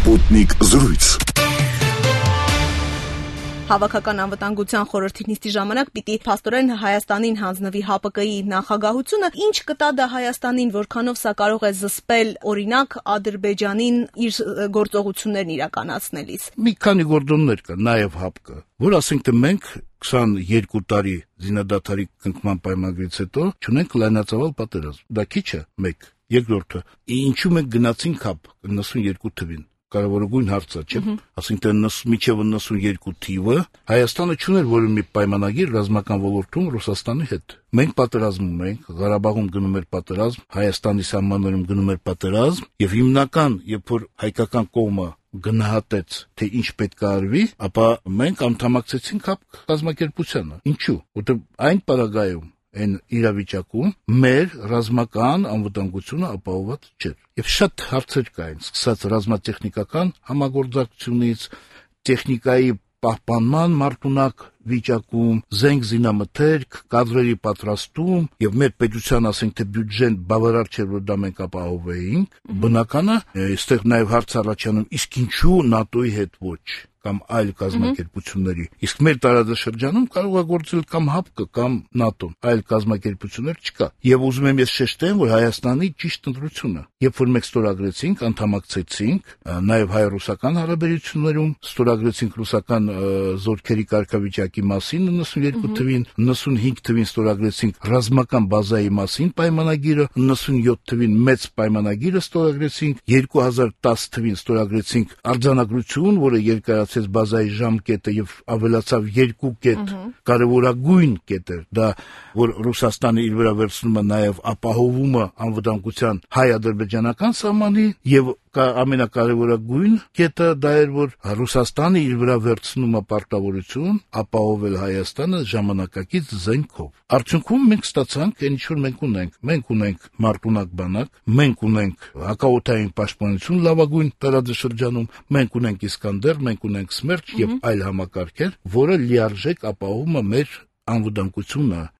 Sputnik զրույց։ Հավաքական անվտանգության խորհրդի նիստի ժամանակ պիտի փաստորեն Հայաստանին հանձնվի ՀԱՊԿ-ի նախագահությունը, ինչ կտա դա Հայաստանին, որքանով սա կարող է զսպել օրինակ Ադրբեջանին իր գործողություններն իրականացնելիս։ Մի քանի գործոններ կա, նաև ՀԱՊԿ, որ ասենք թե մենք 22 տարի զինադադարի կնքման պայմանագրից հետո չունենք լայնածավալ պատերազմ։ Դա քիչ է, մեկ։ Երկրորդը, ինչու մենք գնացինք ՀԱՊԿ 92 թվին։ Կարևորագույն հարցը, չէ՞։ Ասենք թե մինչև 92 թիվը Հայաստանը չուներ որևէ մի պայմանագիր ռազմական ոլորտում Ռուսաստանի հետ։ Մենք պատերազմում ենք, Ղարաբաղում գնում էր պատերազմ, Հայաստանի սահմաններում գնում էր պատերազմ, եւ հիմնական, երբ որ հայկական կողմը գնահատեց, թե ինչ պետք է արվի, ապա մենք անդամակցեցինք ՀԱՊԿ կազմակերպությանը։ Ինչու՞։ Որտեղ այն պարագայում այն իրավիճակում մեր ռազմական անվտանգությունը ապահովված չէր։ Եվ շատ հարցեր կային, սկսած ռազմատեխնիկական համագործակցությունից, տեխնիկայի պահպանման մարտունակ վիճակում, զենք զինամթերք, կադրերի պատրաստում, եւ մեր պետության, ասենք թե բյուջեն բավարար չէր, որ դա մենք ապահովեինք, բնական է, այստեղ նաեւ հարց առաջանում, իսկ ինչու ՆԱՏՕ-ի հետ ոչ կամ այլ կազմակերպությունների։ Իսկ մեր տարածաշրջանում կարող է գործել կամ ՀԱՊԿ կամ ՆԱՏՕ-ն, այլ կազմակերպություններ չկա։ Եվ ուզում եմ ես շեշտեմ, որ Հայաստանի ճիշտ ընտրությունը, երբ որ մենք ստորագրեցինք, անդամակցեցինք, նաև հայ-ռուսական հարաբերություններում ստորագրեցինք ռուսական զորքերի կարգավիճակի մասին 92 թվին, 95 թվին ստորագրեցինք ռազմական բազայի մասին պայմանագիրը, 97 թվին մեծ պայմանագիրը ստորագրեցինք, 2010 թվին ստորագրեցինք արձանագրություն, որը երկարացրեց բազայի ժամկետը եւ ավելացավ 2 կետ, կարևորագույն կետ էր դա, որ Ռուսաստանը իր վրա վերցնում է նաեւ ապահովումը անվտանգության հայ-ադրբեջանական սահմանի եւ ամենակարևորագույն կետը դա էր, որ Ռուսաստանը իր վրա վերցնում է պարտավորություն ապահովել Հայաստանը ժամանակակից զենքով։ Արդյունքում մենք ստացանք այն ինչ որ մենք ունենք։ Մենք ունենք մարտունակ բանակ, մենք ունենք հակաօդային պաշտպանություն լավագույն տարածաշրջանում, մենք ունենք Իսկանդեր, մենք ունենք Սմերչ եւ այլ համակարգեր, որը լիարժեք ապահովում է մեր անվտանգությունը